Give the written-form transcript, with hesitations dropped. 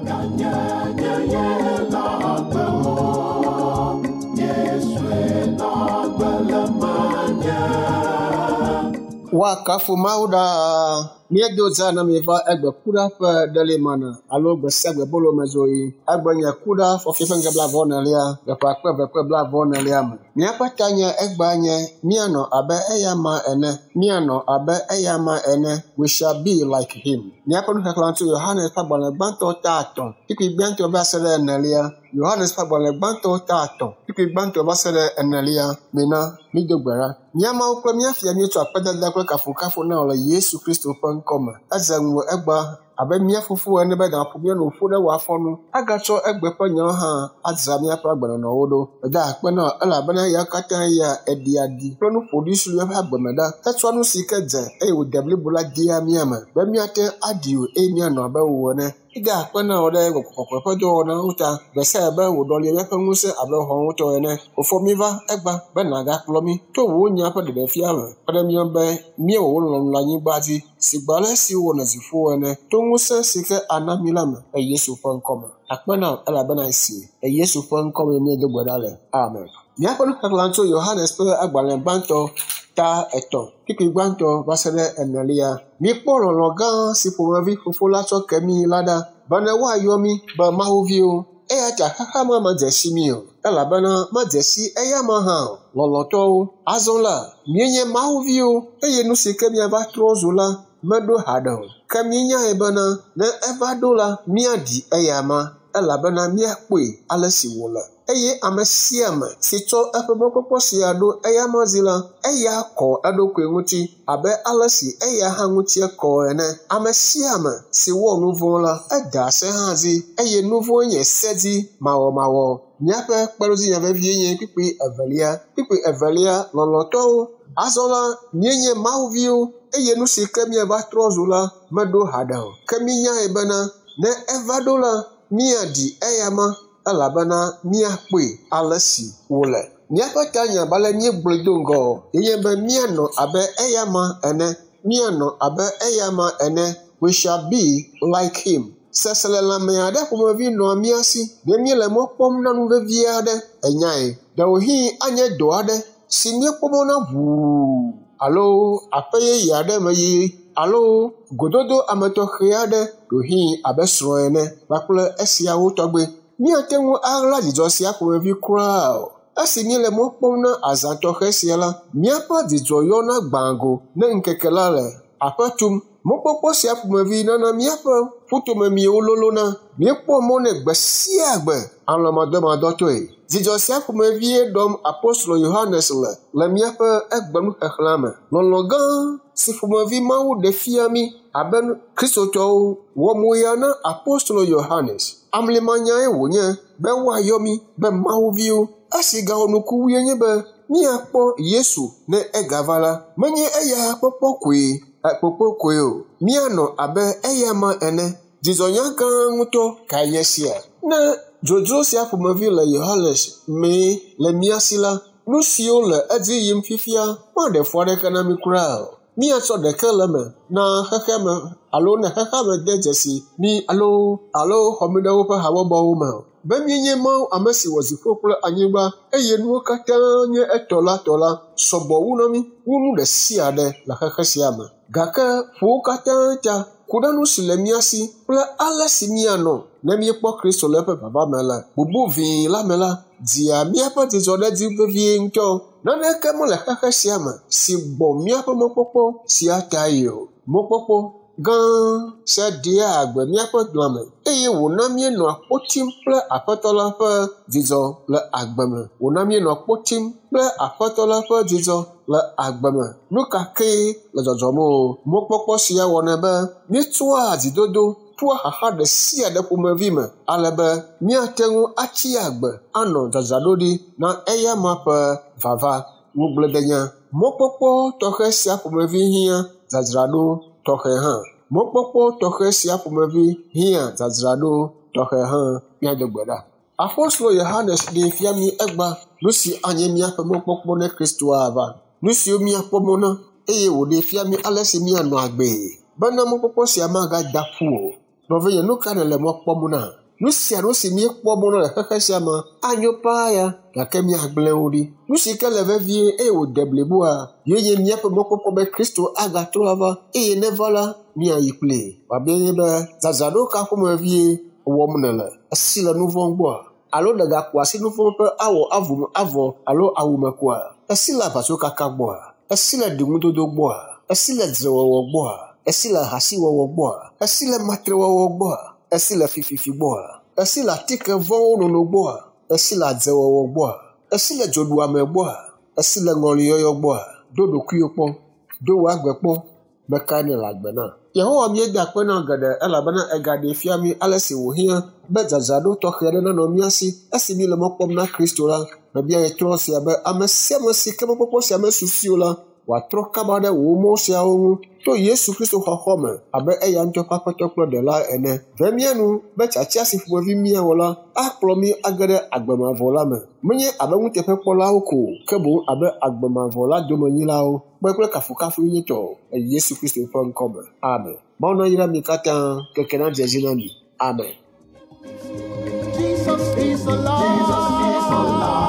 Ganye nye ye na agbe o. Yesue na agbe le menye. Woakafu Mawu ɖaa. Míedo za na mi va egbe kuɖa ƒe ɖelimana alo gbe sia gbe bolomezoɣi. Egbe nye kuɖa fɔfi ƒe ŋge blaeve-vɔ-enelia le ƒe akpe eve kple blaeve-vɔ-enelia me. Míaƒe tanye egbea nye míanɔ abe eyama ene. Míanɔ abe eyama ene. We shall be like him. Míaƒe nuxexlẽ tso Yohanes ƒe agbalẽ gbãtɔ ta etɔ̃, kpukpui gbãtɔ va se ɖe enelia. Yohanes ƒe agbalẽ gbãtɔ ta etɔ̃, kpukpui gbãtɔ va se ɖe enelia. Mina mído gbe ɖa. Mía Mawu kple mía Fia míetsɔ akpedada kple kafukafu na wò le Yesu Kristo ƒe ŋkɔ me. Edze ŋuwò egbea abe mía fofo ene be nàƒo mía nu ƒu ɖe wò afɔ nu agatsɔ egbe ƒe nyawo hã adzra míaƒe agbenɔnɔwo ɖo. Meda akpe na wò elabena eya katã ya eɖia ɖi kple nu ƒoɖi si le míaƒe agbe me ɖa. Etsɔa nu si ke dze eye wòde blibo la dea mía me be míate ŋu aɖi wò eye míanɔ abe wò ene. Eda akpe na wò ɖe gbɔgbɔ kɔkɔe ƒe dɔwɔnawo ta gbe sia gbe be wòɖɔli míaƒe ŋusẽ abe xɔŋutɔ ene. Fofo míva egba be nàgakplɔ mí to wò nya ƒe ɖeɖefia me kpe ɖe mía ŋu be míewɔ wò lɔlɔ̃nu le anyigba dzi sigbe ale si wowɔ le dziƒo ene to ŋusẽ si ke ana mí la me le Yesu ƒe ŋkɔ me. Akpe na wò elabena esi le Yesu ƒe ŋkɔ me míedo gbe ɖa le. Amen. Míaƒe nuxexlẽ tso Yohanes ƒe agbalẽ gbãtɔ ta etɔ̃, kpukpui gbãtɔ va se ɖe enelia. Míekpɔ lɔlɔ̃ gã si ƒomevi Fofo la tsɔ ke mí la ɖa bene woayɔ mí be Mawuviwo. Eya ta xexea me medze si mí o elabena medze si eyama hã o. Lɔlɔ̃tɔwo, azɔ la, míenye Mawuviwo eye nu si ke míava trɔ zu la meɖo haɖe o. Ke míenyae bena ne eva ɖo la, míaɖi eyama elabena míakpɔe ale si wòle. Eye ame sia ame si tsɔ eƒe mɔkpɔkpɔ sia ɖo eyama dzi la, eya kɔ eɖokui ŋuti abe ale si eya hã ŋutie kɔ ene. Ame sia ame si wɔ nu vɔ̃ la, eda se hã dzi eye nu vɔ̃ nye se dzi mawɔmawɔ. Míaƒe kpeɖodzinya vevie nye kpukpui evelia. Kpukpui evelia, lɔlɔ̃tɔwo. Azɔ la, míenye Mawuviwo eye nu si ke míava trɔ zu la meɖo haɖe o. Ke míenyae bena ne eva ɖo la, míaɖi eyama elabena míakpɔe ale si wòle. Míaƒe tanya abe ale míegblɔe do ŋgɔ ye nye be míanɔ abe eyama ene. Míanɔ abe eyama ene. We shall be like him. Seselelãme aɖe ƒomevi nɔa mía si ne míele mɔ kpɔm na nu vevi aɖe. Ènyae, ɖewohĩ anye dɔ aɖe si míekpɔ mɔ na ʋuu alo aƒe yeye aɖe me yiyi alo gododo ame tɔxɛ aɖe ɖewohĩ abe srɔ̃ ene kpakple esiawo tɔgbe. Míate ŋu aɣla dzidzɔ sia ƒomevi kura o. Esi míele mɔ kpɔm na azã tɔxɛ sia la, míaƒe dzidzɔ yɔna gbã go ne ŋkeke la le aƒe tum. Mɔkpɔkpɔ sia ƒomevi nana míaƒe ƒutomemiwo lolona. Míekpɔa mɔ nɛ gbe sia gbe alɔ̃madɔmadɔtɔe. Dzidzɔ sia ƒomevie ɖɔm apostolo Yohanes le le míaƒe egbenuxexlẽa me. Lɔlɔ̃ gã si ƒomevi Mawu ɖe fia mí abe Kristotɔwo wɔ moya na apostolo Yohanes. Amlimanyae wònye be woayɔ mí be Mawuviwo. Esi gawɔ nuku wue nye be míakpɔ Yesu ne egava la, menye eya kpɔkpɔ koe kpokpo koe o. Míanɔ abe eyama ene. Dzidzɔnya gã ŋutɔ kae nye esia? Ne dzodzro sia ƒomevi le Yohanes mee le mía si la, nu siwo le edzi yim fifia maɖe fu aɖeke na mí kura o. Míatsɔ ɖeke le eme na xexeame alo ne xexeame de dzesi mí alo alo xɔ mí ɖe woƒe habɔbɔwo me o. Be míenye Mawu ame si wɔ dziƒo kple anyigba eye nuwo katã nye etɔ la tɔ la sɔgbɔ wu na mí wu nu ɖe sia ɖe le xexe sia me. Gake ƒo wo katã ta ku ɖe nu si le mía si kple ale si míanɔ ne míekpɔ Kristo le eƒe vava me le bubu vĩi la me la, dzia míaƒe dzidzɔ ɖe edzi vevie ŋutɔ. Naneke mele xexe sia me si gbɔ míaƒe mɔkpɔkpɔ sia tae o. Mɔkpɔkpɔ gã sia ɖea agbe míaƒe lãme eye wòna míenɔa kpo tim kple Aƒetɔ la ƒe dzidzɔ le agbe me. Wòna míenɔa kpo tim kple Aƒetɔ la ƒe dzidzɔ le agbe me. Nu ka kee le dzɔdzɔm o. Mɔkpɔkpɔ sia wɔnɛ be míetsɔa dzidodo toa xaxa ɖe sia ɖe ƒomevi me ale be míate ŋu atsi agbe anɔ dzadzraɖoɖi na eyama ƒe vava. Ŋugbledenya. Mɔkpɔkpɔ tɔxɛ sia ƒomevi hiã dzadzraɖo tɔxɛ hã. Mɔkpɔkpɔ tɔxɛ sia ƒomevi hiã dzadzraɖo tɔxɛ hã. Míado gbe ɖa. Apostolo Yohanes ɖee fia mí egba nu si anye míaƒe mɔkpɔkpɔ ne Kristo ava. Nu siwo míakpɔ mɔ na eye wòɖee fia mí ale si míanɔ agbee bena mɔkpɔkpɔ sia magada ƒu o. Nɔvinye, nu ka nèle mɔ kpɔm na? Nu sia nu si míekpɔ mɔ na le xexe sia me anyo paa ya, gake míagblẽ wo ɖi. Nu si ke le vevie eye wòde bliboa, ye nye míaƒe mɔkpɔkpɔ be Kristo agatrɔ ava eye neva la, míayi kplii. Wòabia nye be dzadzraɖo ka ƒomevie wɔm nèle? Esi le nu vɔ̃ gbɔa? Alo nègaku asi nu vɔ̃ ƒe awɔ avu avɔ alo awu me koa? Esi le aʋatsokaka gbɔa? Esi le ɖiŋudodo gbɔa? Esi le dzrewɔwɔ gbɔa? Esi le ahasiwɔwɔ gbɔa? Esi le matrewɔwɔ gbɔa? Esi le fififi gbɔa? Esi le atike vɔ̃wo nono gbɔa? Esi le adzewɔwɔ gbɔa? Esi le dzoɖuame gbɔa? Esi le ŋɔliyɔyɔ gbɔa? Do ɖokuiwò kpɔ, do wò agbe kpɔ, me kae nèle agbe na? Yehowa míeda akpe na geɖe elabena egaɖee fia mí ale si wòhiã be dzadzraɖo tɔxɛ aɖe nanɔ mía si esi míele mɔ kpɔm na Kristo la. Mebia ɣetrɔ sia be ame sia ame si ke mɔkpɔkpɔ sia mesu si o la, wòatrɔ kaba ɖe wò mɔ siawo ŋu to Yesu Kristo xɔxɔ me abe eya ŋutɔ ƒe Aƒetɔ kple Ɖela ene. Ve mía nu be tiatia si ƒomevi míawɔ la akplɔ mí age ɖe agbe mavɔ la me. Menye abe nuteƒekpɔlawo ko o, ke boŋ abe agbe mavɔ la domenyilawo kpe kple kafukafu nyuitɔ le Yesu Kristo ƒe ŋkɔ me. Amen. Mawu nayra mi katã keke nadze edzi na mi. Amen. Jesus is alive. Jesus is alive.